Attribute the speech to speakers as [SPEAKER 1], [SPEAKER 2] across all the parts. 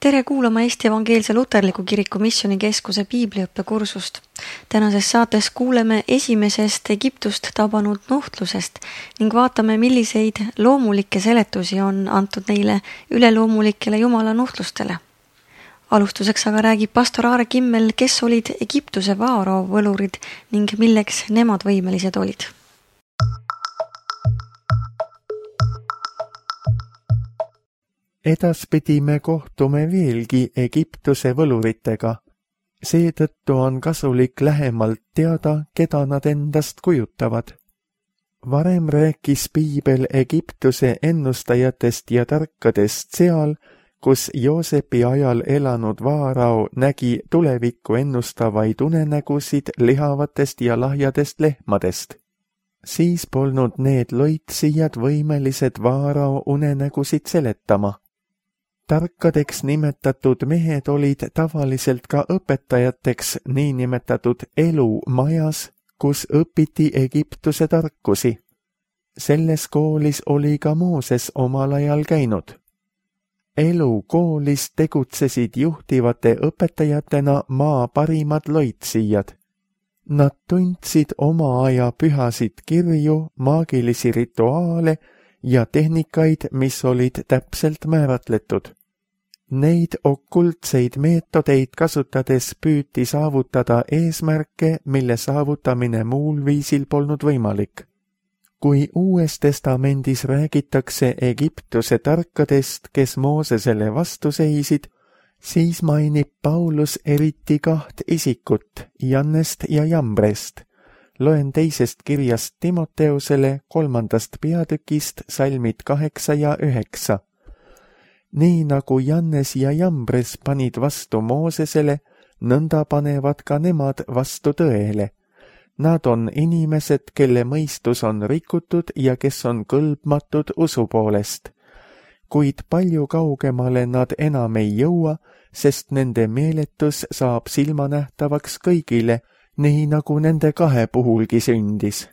[SPEAKER 1] Tere kuulama Eesti Evangeelse Luterliku Kiriku Missioonikeskuse piibliõppekursust. Tänases saates kuuleme esimesest Egiptust tabanud nuhtlusest ning vaatame, milliseid loomulikke seletusi on antud neile üleloomulikele Jumala nuhtlustele. Alustuseks aga räägib pastor Aare Kimmel, kes olid Egiptuse vaarao võlurid ning milleks nemad võimelised olid.
[SPEAKER 2] Edaspidi me kohtume veelgi Egiptuse võluritega. Seetõttu on kasulik lähemalt teada, keda nad endast kujutavad. Varem rääkis piibel Egiptuse ennustajatest ja tarkadest seal, kus Joosepi ajal elanud vaarao nägi tulevikku ennustavaid unenägusid lihavatest ja lahjadest lehmadest. Siis polnud need loitsijad võimelised vaarao unenägusid seletama. Tarkadeks nimetatud mehed olid tavaliselt ka õpetajateks niinimetatud elumajas, kus õpiti Egiptuse tarkusi. Selles koolis oli ka Mooses omal ajal käinud. Elukoolis tegutsesid juhtivate õpetajatena maa parimad loitsijad. Nad tundsid oma aja pühasid kirju, maagilisi rituaale ja tehnikaid, mis olid täpselt määratletud. Neid okultseid meetodeid kasutades püüti saavutada eesmärke, mille saavutamine muul viisil polnud võimalik. Kui Uues Testamendis räägitakse Egiptuse tarkadest, kes Moosesele vastu seisid, siis mainib Paulus eriti 2 isikut, Jannest ja Jambrest. Loen 2. kirjast Timoteusele 3. peatükist salmid 8 ja 9. Nii nagu Jannes ja Jambres panid vastu Moosesele, nõnda panevad ka nemad vastu tõele. Nad on inimesed, kelle mõistus on rikutud ja kes on kõlbmatud usu poolest. Kuid palju kaugemale nad enam ei jõua, sest nende meeletus saab silmanähtavaks kõigile, nii nagu nende 2 puhulgi sündis.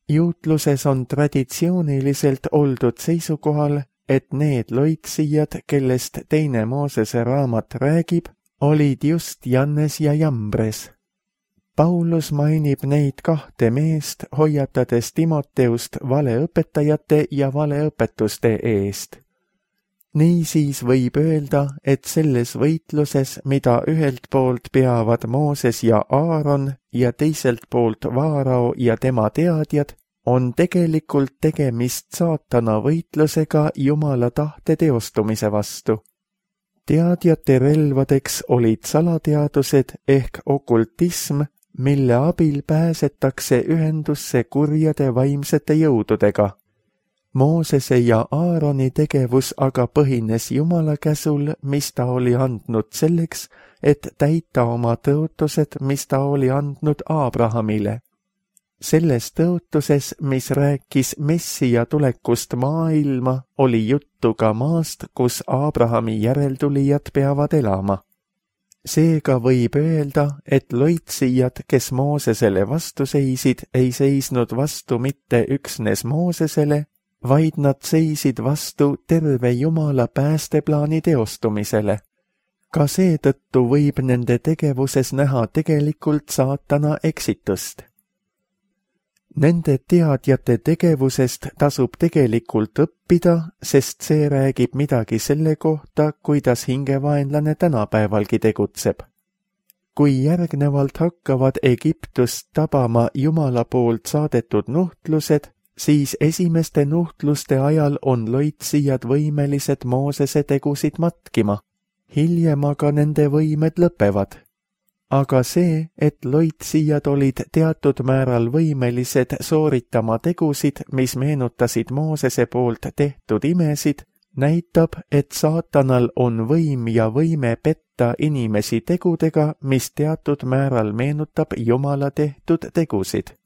[SPEAKER 2] Juutluses on traditsiooniliselt oldud seisukohal, et need loitsijad, kellest 2. Moosese raamat räägib, olid just Jannes ja Jambres. Paulus mainib neid 2 meest, hoiatades Timoteust valeõpetajate ja valeõpetuste eest. Niisiis võib öelda, et selles võitluses, mida ühelt poolt peavad Mooses ja Aaron ja teiselt poolt vaarao ja tema teadjad, on tegelikult tegemist saatana võitlusega Jumala tahte teostumise vastu. Teadjate relvadeks olid salateadused ehk okultism, mille abil pääsetakse ühendusse kurjade vaimsete jõududega. Moosese ja Aaroni tegevus aga põhines Jumala käsul, mis ta oli andnud selleks, et täita oma tõotused, mis ta oli andnud Abrahamile. Selles tõotuses, mis rääkis Messija tulekust maailma, oli juttu ka maast, kus Abrahami järeltulijad peavad elama. Seega võib öelda, et loitsijad, kes Moosesele vastu seisid, ei seisnud vastu mitte üksnes Moosesele, vaid nad seisid vastu terve Jumala päästeplaani teostumisele. Ka seetõttu võib nende tegevuses näha tegelikult saatana eksitust. Nende teadjate tegevusest tasub tegelikult õppida, sest see räägib midagi selle kohta, kuidas hingevaenlane tänapäevalgi tegutseb. Kui järgnevalt hakkavad Egiptust tabama Jumala poolt saadetud nuhtlused, siis esimeste nuhtluste ajal on loitsijad võimelised Moosese tegusid matkima. Hiljem aga nende võimed lõpevad. Aga see, et loitsijad olid teatud määral võimelised sooritama tegusid, mis meenutasid Moosese poolt tehtud imesid, näitab, et saatanal on võim ja võime petta inimesi tegudega, mis teatud määral meenutab Jumala tehtud tegusid.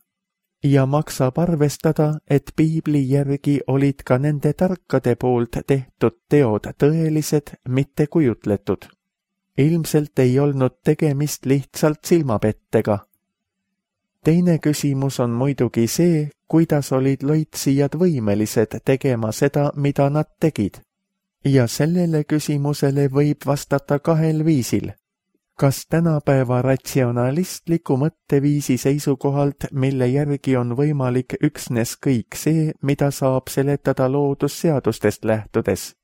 [SPEAKER 2] Ja maksab arvestada, et piibli järgi olid ka nende tarkade poolt tehtud teod tõelised, mitte kujutletud. Ilmselt ei olnud tegemist lihtsalt silmapettega. Teine küsimus on muidugi see, kuidas olid loitsijad võimelised tegema seda, mida nad tegid. Ja sellele küsimusele võib vastata kahel viisil. Kas tänapäeva ratsionalistliku mõtteviisi seisukohalt, mille järgi on võimalik üksnes kõik see, mida saab seletada loodusseadustest lähtudes,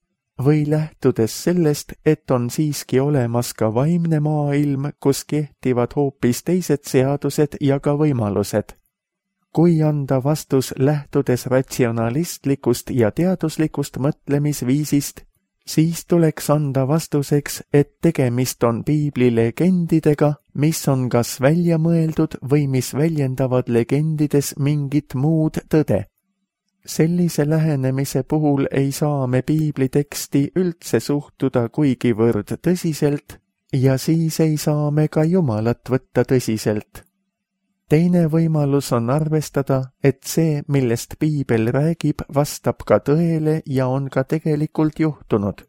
[SPEAKER 2] või lähtudes sellest, et on siiski olemas ka vaimne maailm, kus kehtivad hoopis teised seadused ja ka võimalused. Kui anda vastus lähtudes ratsionalistlikust ja teaduslikust mõtlemisviisist, siis tuleks anda vastuseks, et tegemist on piibli legendidega, mis on kas välja mõeldud või mis väljendavad legendides mingit muud tõde. Sellise lähenemise puhul ei saa me piibli teksti üldse suhtuda kuigivõrd tõsiselt ja siis ei saa me ka Jumalat võtta tõsiselt. Teine võimalus on arvestada, et see, millest piibel räägib, vastab ka tõele ja on ka tegelikult juhtunud.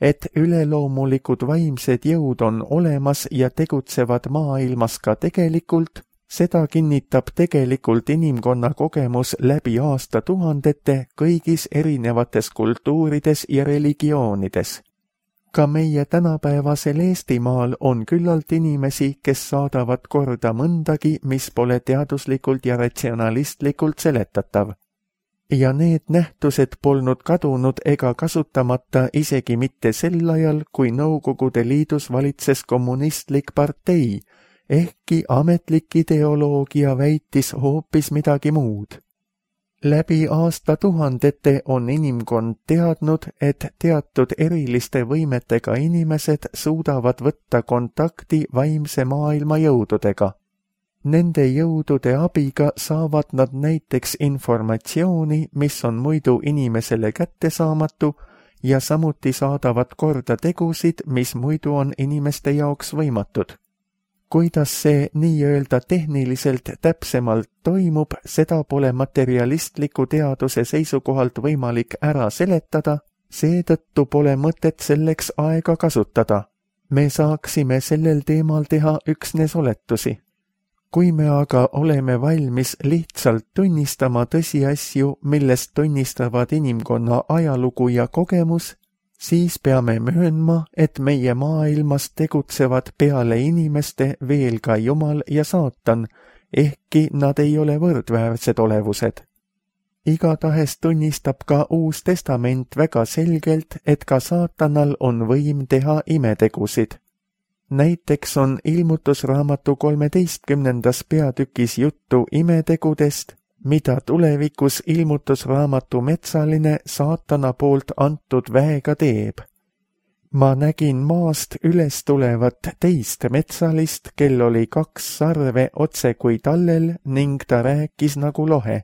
[SPEAKER 2] Et üleloomulikud vaimsed jõud on olemas ja tegutsevad maailmas ka tegelikult, seda kinnitab tegelikult inimkonna kogemus läbi aastatuhandete kõigis erinevates kultuurides ja religioonides. Ka meie tänapäevasel Eestimaal on küllalt inimesi, kes saadavad korda mõndagi, mis pole teaduslikult ja ratsionalistlikult seletatav. Ja need nähtused polnud kadunud ega kasutamata isegi mitte sel ajal, kui Nõukogude Liidus valitses kommunistlik partei, ehkki ametlik ideoloogia väitis hoopis midagi muud. Läbi aastatuhandete on inimkond teadnud, et teatud eriliste võimetega inimesed suudavad võtta kontakti vaimse maailma jõududega. Nende jõudude abiga saavad nad näiteks informatsiooni, mis on muidu inimesele kättesaamatu, ja samuti saadavad korda tegusid, mis muidu on inimeste jaoks võimatud. Kuidas see nii-öelda tehniliselt täpsemalt toimub, seda pole materialistliku teaduse seisukohalt võimalik ära seletada, seetõttu pole mõtet selleks aega kasutada. Me saaksime sellel teemal teha üksnes oletusi. Kui me aga oleme valmis lihtsalt tunnistama tõsiasju, millest tunnistavad inimkonna ajalugu ja kogemus, siis peame möönma, et meie maailmas tegutsevad peale inimeste veel ka Jumal ja Saatan, ehkki nad ei ole võrdväärsed olevused. Igatahes tunnistab ka Uus Testament väga selgelt, et ka Saatanal on võim teha imetegusid. Näiteks on Ilmutusraamatu 13. peatükis juttu imetegudest, mida tulevikus Ilmutusraamatu metsaline Saatana poolt antud väega teeb. Ma nägin maast üles tulevat teist metsalist, kel oli 2 sarve otse kui tallel ning ta rääkis nagu lohe.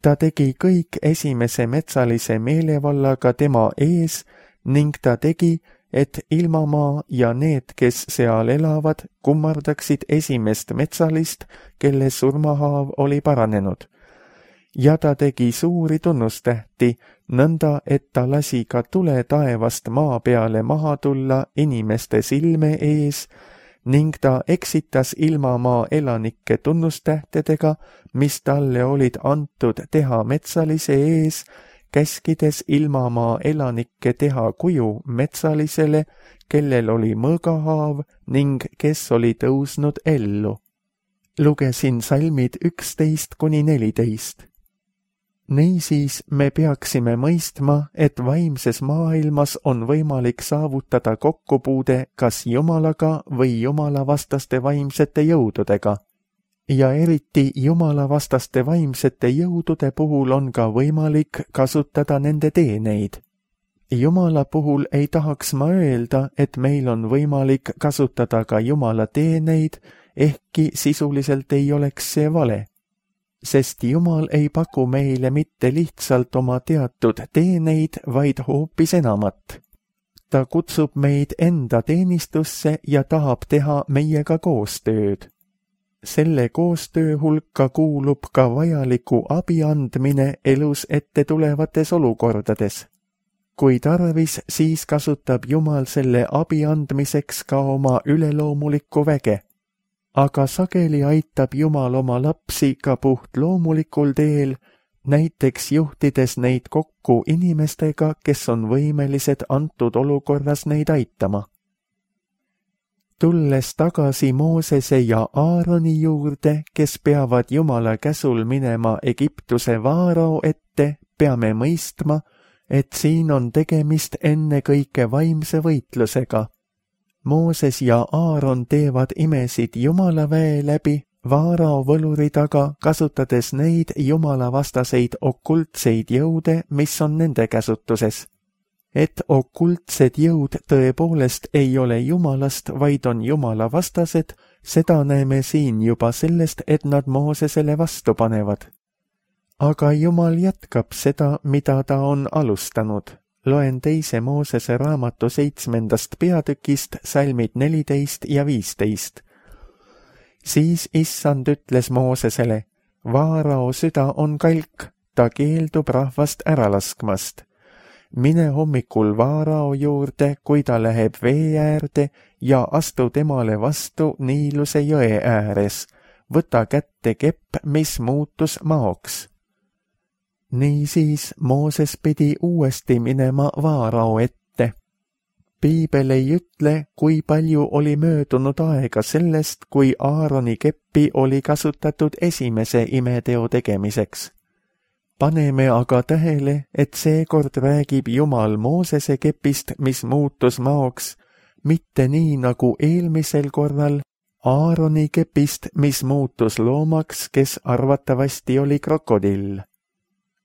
[SPEAKER 2] Ta tegi kõik esimese metsalise meelevallaga tema ees ning ta tegi, et ilmamaa ja need, kes seal elavad, kummardaksid esimest metsalist, kelle surmahaav oli paranenud. Ja ta tegi suuri tunnustähti, nõnda, et ta lasi ka tule taevast maa peale maha tulla inimeste silme ees ning ta eksitas ilmamaa elanikke tunnustähtedega, mis talle olid antud teha metsalise ees, käskides ilmamaa elanikke teha kuju metsalisele, kellel oli mõõgahaav ning kes oli tõusnud ellu. Lugesin salmid 11–14. Niisiis me peaksime mõistma, et vaimses maailmas on võimalik saavutada kokkupuude kas Jumalaga või jumalavastaste vaimsete jõududega. Ja eriti jumalavastaste vaimsete jõudude puhul on ka võimalik kasutada nende teeneid. Jumala puhul ei tahaks ma öelda, et meil on võimalik kasutada ka Jumala teeneid, ehkki sisuliselt ei oleks see vale. Sest Jumal ei paku meile mitte lihtsalt oma teatud teeneid, vaid hoopis enamat. Ta kutsub meid enda teenistusse ja tahab teha meiega koostööd. Selle koostöö hulka kuulub ka vajaliku abi andmine elus ette tulevates olukordades. Kui tarvis, siis kasutab Jumal selle abi andmiseks ka oma üleloomulikku väge. Aga sageli aitab Jumal oma lapsi ka puht loomulikul teel, näiteks juhtides neid kokku inimestega, kes on võimelised antud olukorras neid aitama. Tulles tagasi Moosese ja Aaroni juurde, kes peavad Jumala käsul minema Egiptuse vaarao ette, peame mõistma, et siin on tegemist ennekõike vaimse võitlusega. Mooses ja Aaron teevad imesid Jumala väe läbi, vaarao võluri taga, kasutades neid jumalavastaseid okultseid jõude, mis on nende käsutuses. Et okultsed jõud tõepoolest ei ole Jumalast, vaid on Jumala vastased, seda näeme siin juba sellest, et nad Moosesele vastu panevad. Aga Jumal jätkab seda, mida ta on alustanud. Loen 2. Moosese raamatu 7. peatükist salmid 14 ja 15. Siis Issand ütles Moosesele, vaarao süda on kalk, ta keeldub rahvast ära laskmast. Mine hommikul vaarao juurde, kui ta läheb vee äärde ja astu temale vastu Niiluse jõe ääres. Võta kätte kepp, mis muutus maoks. Niisiis Mooses pidi uuesti minema vaarao ette. Piibel ei ütle, kui palju oli möödunud aega sellest, kui Aaroni keppi oli kasutatud esimese imeteo tegemiseks. Paneme aga tähele, et seekord räägib Jumal Moosese kepist, mis muutus maoks, mitte nii nagu eelmisel korral Aaroni kepist, mis muutus loomaks, kes arvatavasti oli krokodill.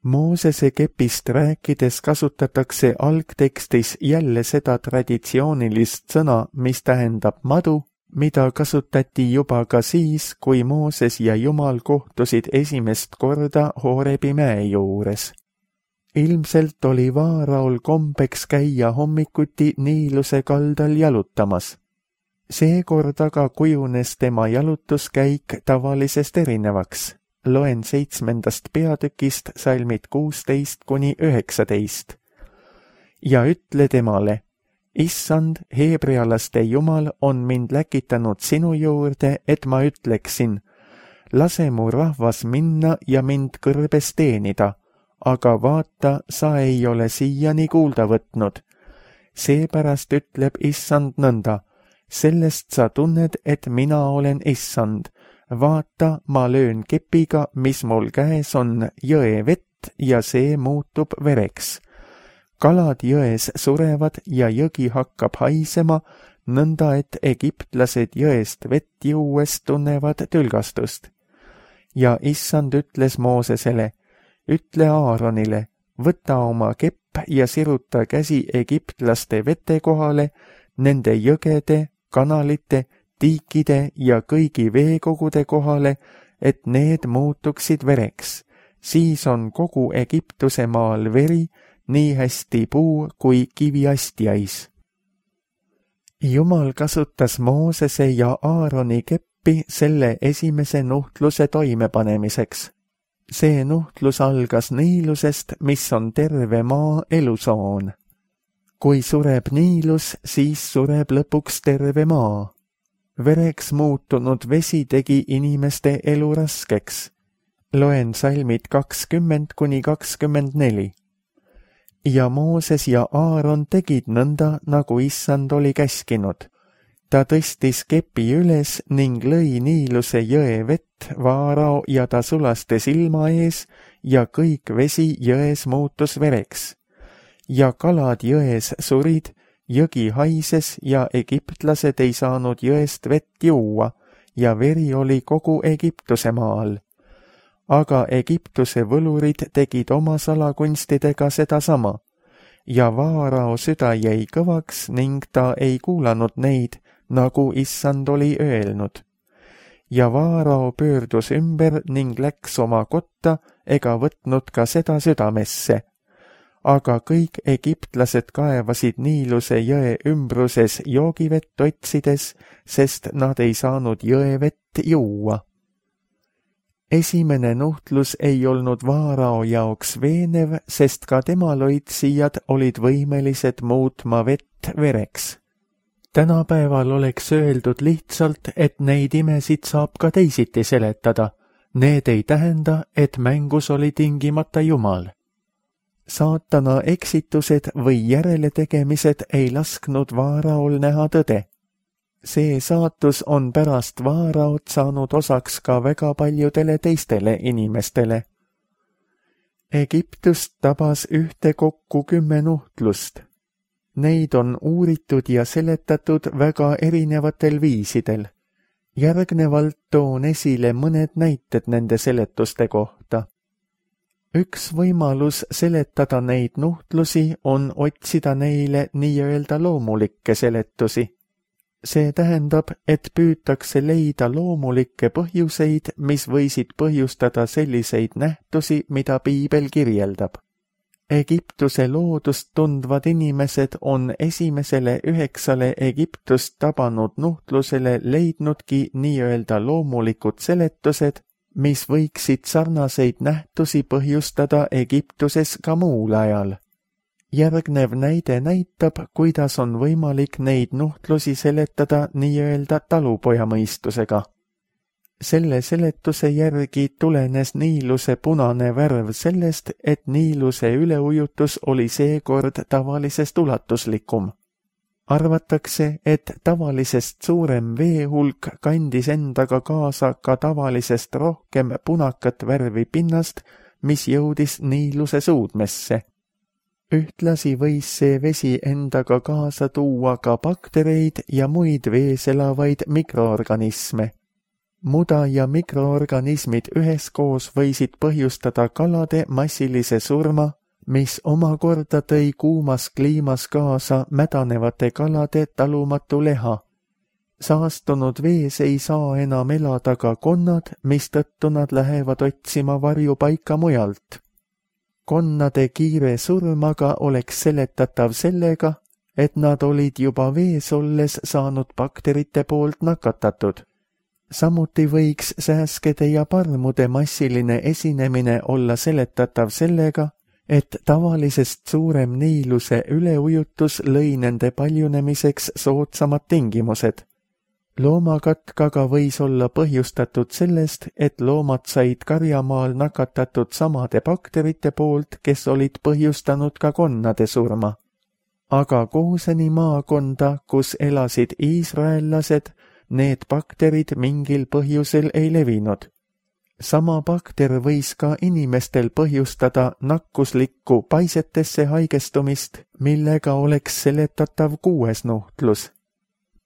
[SPEAKER 2] Moosese kepist rääkides kasutatakse algtekstis jälle seda traditsioonilist sõna, mis tähendab madu, mida kasutati juba ka siis, kui Mooses ja Jumal kohtusid esimest korda Horebi mäe juures. Ilmselt oli vaaraol kombeks käia hommikuti Niiluse kaldal jalutamas. Seekord aga kujunes tema jalutuskäik tavalisest erinevaks. Loen 7. peatükist salmid 16–19. Ja ütle temale, Issand, heebrealaste Jumal on mind läkitanud sinu juurde, et ma ütleksin, lase mu rahvas minna ja mind kõrbes teenida, aga vaata, sa ei ole siiani kuulda võtnud. Seepärast ütleb Issand nõnda, sellest sa tunned, et mina olen Issand. Vaata, ma löön kepiga, mis mul käes on, jõe vett ja see muutub vereks. Kalad jões surevad ja jõgi hakkab haisema, nõnda et egiptlased jõest vett juues tunnevad tülgastust. Ja Issand ütles Moosesele, ütle Aaronile, võta oma kepp ja siruta käsi egiptlaste vete kohale, nende jõgede, kanalite, tiikide ja kõigi veekogude kohale, et need muutuksid vereks. Siis on kogu Egiptuse maal veri, nii hästi puu kui kiviastjais. Jumal kasutas Moosese ja Aaroni keppi selle esimese nuhtluse toimepanemiseks. See nuhtlus algas Niilusest, mis on terve maa elusoon. Kui sureb Niilus, siis sureb lõpuks terve maa. Vereks muutunud vesi tegi inimeste elu raskeks. Loen salmid 20–24. Ja Mooses ja Aaron tegid nõnda, nagu Issand oli käskinud. Ta tõstis kepi üles ning lõi Niiluse jõe vett vaarao ja ta sulastes ilma ees ja kõik vesi jões muutus vereks. Ja kalad jões surid, jõgi haises ja egiptlased ei saanud jõest vett juua ja veri oli kogu Egiptuse maal. Aga Egiptuse võlurid tegid oma salakunstidega sedasama ja vaarao süda jäi kõvaks ning ta ei kuulanud neid, nagu Issand oli öelnud. Ja vaarao pöördus ümber ning läks oma kotta ega võtnud ka seda südamesse. Aga kõik egiptlased kaevasid Niiluse jõe ümbruses joogivett otsides, sest nad ei saanud jõevett juua. Esimene nuhtlus ei olnud vaarao jaoks veenev, sest ka tema loitsijad olid võimelised muutma vett vereks. Tänapäeval oleks öeldud lihtsalt, et neid imesid saab ka teisiti seletada, Need ei tähenda, et mängus oli tingimata Jumal. Saatana eksitused või järeletegemised ei lasknud Vaaraol näha tõde. See saatus on pärast Vaaraot saanud osaks ka väga paljudele teistele inimestele. Egiptust tabas ühtekokku 10 nuhtlust. Neid on uuritud ja seletatud väga erinevatel viisidel. Järgnevalt toon esile mõned näited nende seletuste kohta. Üks võimalus seletada neid nuhtlusi on otsida neile nii-öelda loomulikke seletusi. See tähendab, et püütakse leida loomulikke põhjuseid, mis võisid põhjustada selliseid nähtusi, mida piibel kirjeldab. Egiptuse loodust tundvad inimesed on esimesele 9 Egiptust tabanud nuhtlusele leidnudki nii-öelda loomulikud seletused, mis võiksid sarnaseid nähtusi põhjustada Egiptuses ka muul ajal. Järgnev näide näitab, kuidas on võimalik neid nuhtlusi seletada nii-öelda talupojamõistusega. Selle seletuse järgi tulenes Niiluse punane värv sellest, et Niiluse üleujutus oli seekord tavalisest ulatuslikum. Arvatakse, et tavalisest suurem veehulk kandis endaga kaasa ka tavalisest rohkem punakat värvi pinnast, mis jõudis Niiluse suudmesse. Ühtlasi võis see vesi endaga kaasa tuua ka baktereid ja muid vees elavaid mikroorganisme. Muda ja mikroorganismid üheskoos võisid põhjustada kalade massilise surma, mis omakorda tõi kuumas kliimas kaasa mädanevate kalade talumatu leha. Saastunud vees ei saa enam elada ka konnad, mistõttu nad lähevad otsima varjupaika mujalt. Konnade kiire surm aga oleks seletatav sellega, et nad olid juba vees olles saanud bakterite poolt nakatatud. Samuti võiks sääskede ja parmude massiline esinemine olla seletatav sellega, et tavalisest suurem Niiluse üleujutus lõi nende paljunemiseks soodsamad tingimused. Loomakatk aga võis olla põhjustatud sellest, et loomad said karjamaal nakatatud samade bakterite poolt, kes olid põhjustanud ka konnade surma. Aga Gooseni maakonda, kus elasid iisraellased, need bakterid mingil põhjusel ei levinud. Sama bakter võis ka inimestel põhjustada nakkuslikku paisetesse haigestumist, millega oleks seletatav 6. nuhtlus.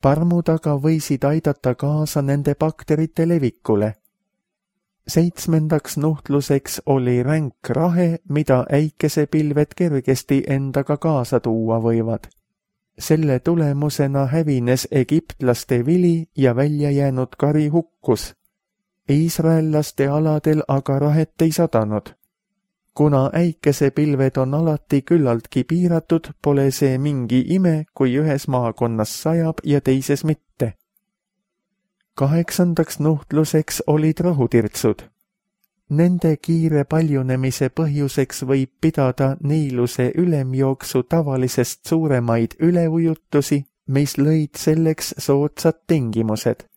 [SPEAKER 2] Parmud aga võisid aidata kaasa nende bakterite levikule. 7. nuhtluseks oli ränk rahe, mida äikesepilved kergesti endaga kaasa tuua võivad. Selle tulemusena hävines egiptlaste vili ja välja jäänud kari hukkus. Iisraellaste aladel aga rahet ei sadanud. Kuna äikesepilved on alati küllaltki piiratud, pole see mingi ime, kui ühes maakonnas sajab ja teises mitte. 8. nuhtluseks olid rohutirtsud. Nende kiire paljunemise põhjuseks võib pidada Niiluse ülemjooksu tavalisest suuremaid üleujutusi, mis lõid selleks soodsad tingimused.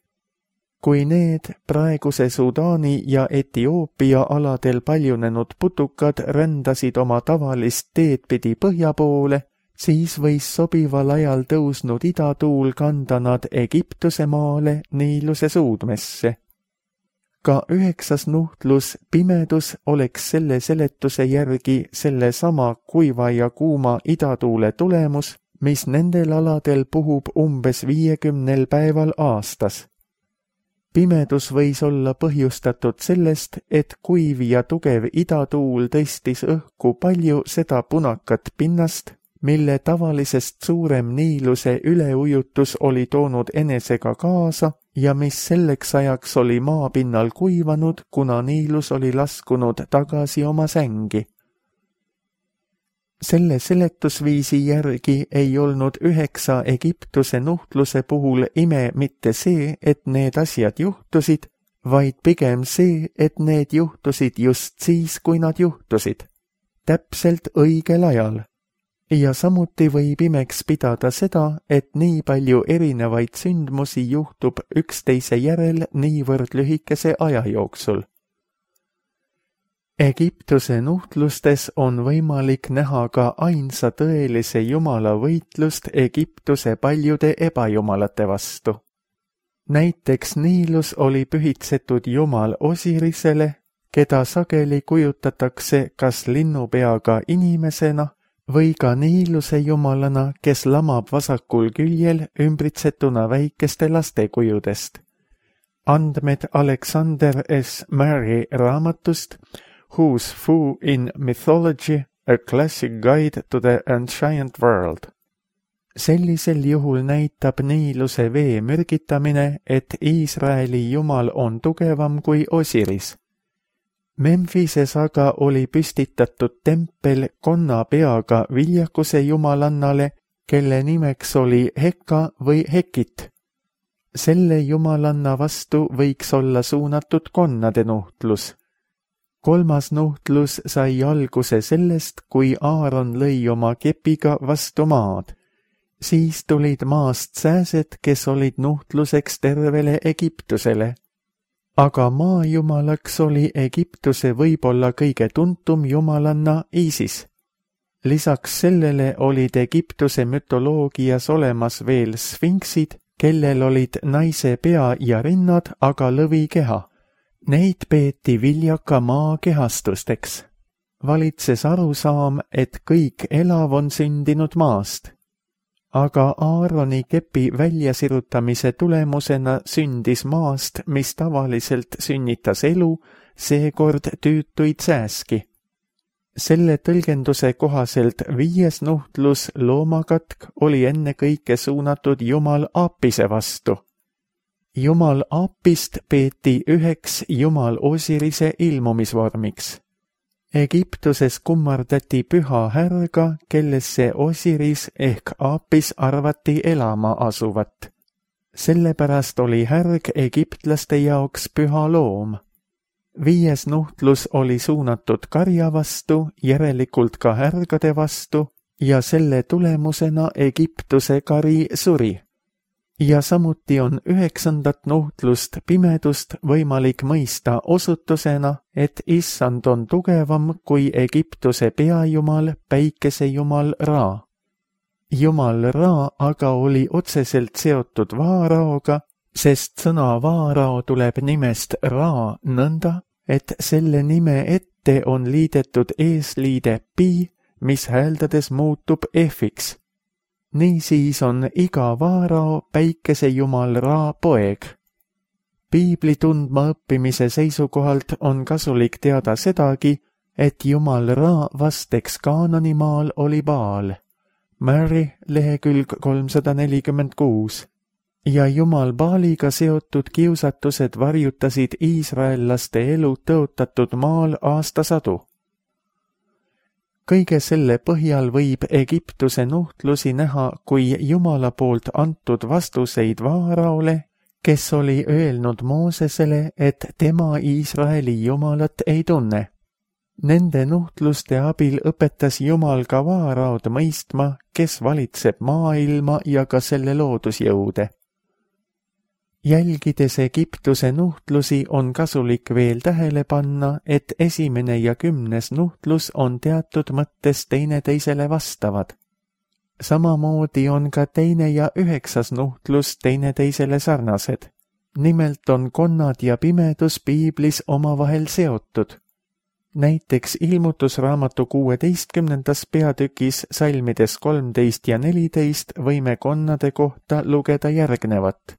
[SPEAKER 2] Kui need praeguse Sudaani ja Etioopia aladel paljunenud putukad rändasid oma tavalist teed pidi põhja poole, siis võis sobival ajal tõusnud idatuul kanda nad Egiptuse maale Niiluse suudmesse. Ka 9. nuhtlus, pimedus, oleks selle seletuse järgi sellesama kuiva ja kuuma idatuule tulemus, mis nendel aladel puhub umbes 50 päeval aastas. Pimedus võis olla põhjustatud sellest, et kuiv ja tugev idatuul tõstis õhku palju seda punakat pinnast, mille tavalisest suurem Niiluse üleujutus oli toonud enesega kaasa ja mis selleks ajaks oli maapinnal kuivanud, kuna Niilus oli laskunud tagasi oma sängi. Selle seletusviisi järgi ei olnud 9 Egiptuse nuhtluse puhul ime mitte see, et need asjad juhtusid, vaid pigem see, et need juhtusid just siis, kui nad juhtusid. Täpselt õigel ajal. Ja samuti võib imeks pidada seda, et nii palju erinevaid sündmusi juhtub üksteise järel niivõrd lühikese aja jooksul. Egiptuse nuhtlustes on võimalik näha ka ainsa tõelise jumala võitlust Egiptuse paljude ebajumalate vastu. Näiteks Niilus oli pühitsetud jumal Osirisele, keda sageli kujutatakse kas linnupeaga inimesena või ka Niiluse jumalana, kes lamab vasakul küljel ümbritsetuna väikeste laste kujudest. Andmed Alexander S. Murray raamatust Who's Who in Mythology, a Classic Guide to the Ancient World. Sellisel juhul näitab Niiluse vee mürgitamine, et Iisraeli jumal on tugevam kui Osiris. Memphises aga oli püstitatud tempel konna peaga viljakuse jumalannale, kelle nimeks oli Heka või Hekit. Selle jumalanna vastu võiks olla suunatud konnade nuhtlus. Kolmas nuhtlus sai alguse sellest, kui Aaron lõi oma kepiga vastu maad. Siis tulid maast sääsed, kes olid nuhtluseks tervele Egiptusele. Aga maajumalaks oli Egiptuse võib-olla kõige tuntum jumalanna Isis. Lisaks sellele olid Egiptuse mütoloogias olemas veel sfinksid, kellel olid naise pea ja rinnad, aga lõvikeha. Neid peeti viljaka maa kehastusteks. Valitses arusaam, et kõik elav on sündinud maast. Aga Aaroni kepi väljasirutamise tulemusena sündis maast, mis tavaliselt sünnitas elu, seekord tüütuid sääski. Selle tõlgenduse kohaselt 5. nuhtlus loomakatk oli ennekõike suunatud jumal Apise vastu. Jumal Apist peeti üheks jumal Osirise ilmumisvormiks. Egiptuses kummardati püha härga, kellesse Osiris ehk Apis arvati elama asuvat. Sellepärast oli härg egiptlaste jaoks püha loom. 5. nuhtlus oli suunatud karja vastu, järelikult ka härgade vastu, ja selle tulemusena Egiptuse kari suri. Ja samuti on 9. nuhtlust pimedust võimalik mõista osutusena, et issand on tugevam kui Egiptuse peajumal, päikesejumal Ra. Jumal Ra aga oli otseselt seotud Vaaraoga, sest sõna Vaarao tuleb nimest Ra nõnda, et selle nime ette on liidetud eesliide pi, mis hääldades muutub F-iks. Niisiis on iga Vaarao päikesejumal Ra poeg. Piibli tundma õppimise seisukohalt on kasulik teada sedagi, et jumal Ra vasteks Kaananimaal oli Baal. Murray, lehekülg 346. Ja jumal Baaliga seotud kiusatused varjutasid iisraellaste elu tõotatud maal aastasadu. Kõige selle põhjal võib Egiptuse nuhtlusi näha kui jumala poolt antud vastuseid Vaaraole, kes oli öelnud Moosesele, et tema Iisraeli jumalat ei tunne. Nende nuhtluste abil õpetas jumal ka Vaaraod mõistma, kes valitseb maailma ja ka selle loodusjõude. Jälgides Egiptuse nuhtlusi on kasulik veel tähele panna, et 1. ja 10. nuhtlus on teatud mõttes teineteisele vastavad. Samamoodi on ka 2. ja 9. nuhtlus teineteisele sarnased. Nimelt on konnad ja pimedus piiblis omavahel seotud. Näiteks ilmutusraamatu 16. peatükis salmides 13 ja 14 võime konnade kohta lugeda järgnevat.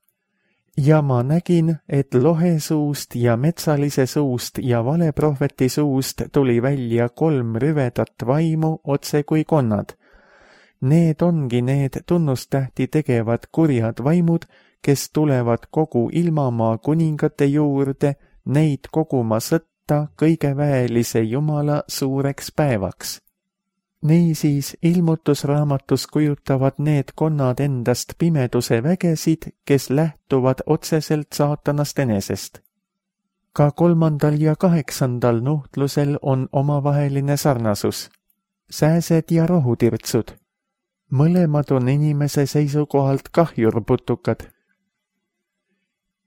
[SPEAKER 2] Ja ma nägin, et lohe suust ja metsalise suust ja valeprohveti suust tuli välja 3 rüvedat vaimu otse kui konnad. Need ongi need tunnustähti tegevad kurjad vaimud, kes tulevad kogu ilmamaa kuningate juurde, neid koguma sõtta kõige väelise Jumala suureks päevaks. Niisiis ilmutusraamatus kujutavad need konnad endast pimeduse vägesid, kes lähtuvad otseselt saatanast enesest. Ka 3. ja 8. nuhtlusel on omavaheline sarnasus. Sääsed ja rohutirtsud. Mõlemad on inimese seisukohalt kahjurputukad.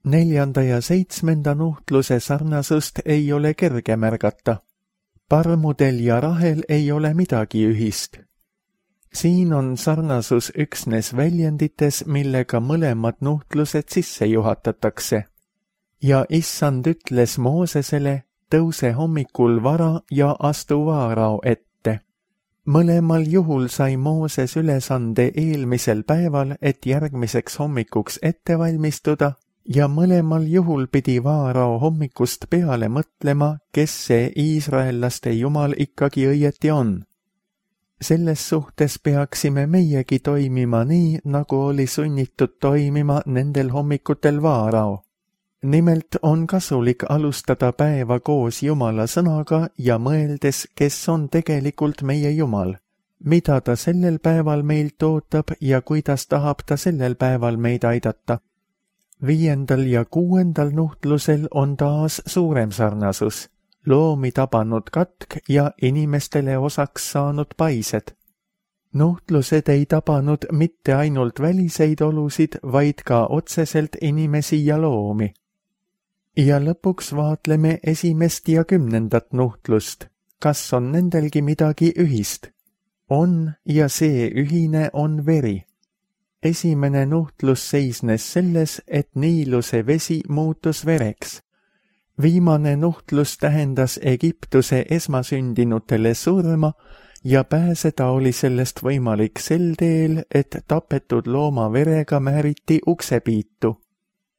[SPEAKER 2] 4. ja 7. nuhtluse sarnasust ei ole kerge märgata. Parmudel ja Rahel ei ole midagi ühist. Siin on sarnasus üksnes väljendites, millega mõlemad nuhtlused sisse juhatatakse. Ja issand ütles Moosesele, tõuse hommikul vara ja astu Vaarao ette. Mõlemal juhul sai Mooses ülesande eelmisel päeval, et järgmiseks hommikuks ette valmistuda, ja mõlemal juhul pidi Vaarao hommikust peale mõtlema, kes see iisraellaste jumal ikkagi õieti on. Selles suhtes peaksime meiegi toimima nii, nagu oli sunnitud toimima nendel hommikutel Vaarao. Nimelt on kasulik alustada päeva koos Jumala sõnaga ja mõeldes, kes on tegelikult meie Jumal, mida ta sellel päeval meilt ootab ja kuidas tahab ta sellel päeval meid aidata. 5. ja 6. nuhtlusel on taas suurem sarnasus, loomi tabanud katk ja inimestele osaks saanud paised. Nuhtlused ei tabanud mitte ainult väliseid olusid, vaid ka otseselt inimesi ja loomi. Ja lõpuks vaatleme 1. ja 10. nuhtlust. Kas on nendelgi midagi ühist? On, ja see ühine on veri. Esimene nuhtlus seisnes selles, et Niiluse vesi muutus vereks. Viimane nuhtlus tähendas Egiptuse esmasündinutele surma ja pääseda oli sellest võimalik sel teel, et tapetud looma verega määriti uksepiitu.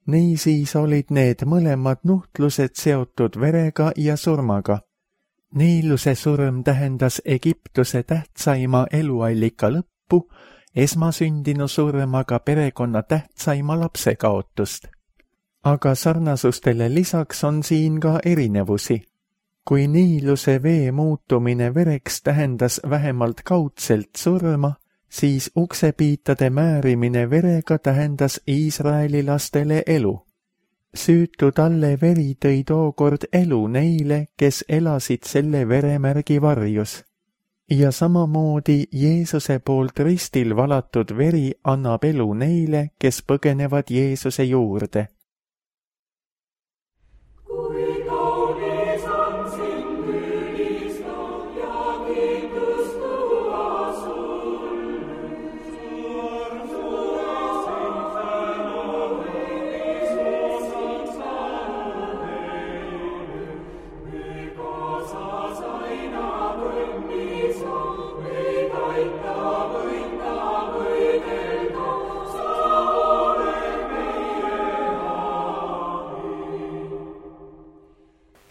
[SPEAKER 2] Niisiis olid need mõlemad nuhtlused seotud verega ja surmaga. Niiluse surm tähendas Egiptuse tähtsaima eluallika lõppu, esmasündinu surm aga perekonna tähtsaima lapse kaotust. Aga sarnasustele lisaks on siin ka erinevusi. Kui Niiluse vee muutumine vereks tähendas vähemalt kaudselt surma, siis uksepiitade määrimine verega tähendas Iisraeli lastele elu. Süütu talle veri tõi tookord elu neile, kes elasid selle veremärgi varjus. Ja samamoodi Jeesuse poolt ristil valatud veri annab elu neile, kes põgenevad Jeesuse juurde.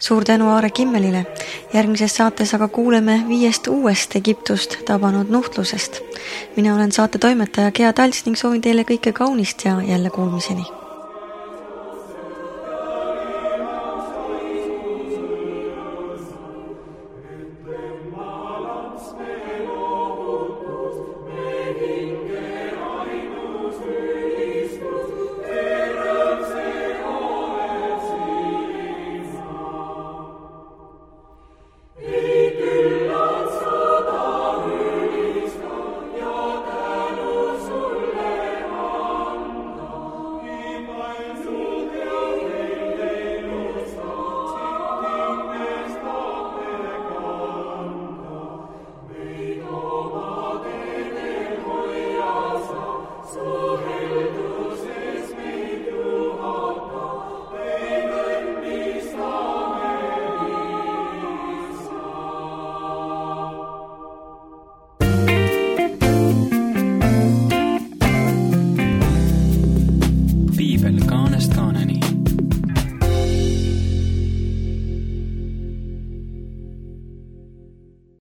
[SPEAKER 1] Suur tänu Aare Kimmelile. Järgmises saates aga kuuleme 5 uuest Egiptust tabanud nuhtlusest. Mina olen saate toimetaja Gea Talts ning soovin teile kõike kaunist ja jälle kuulmiseni.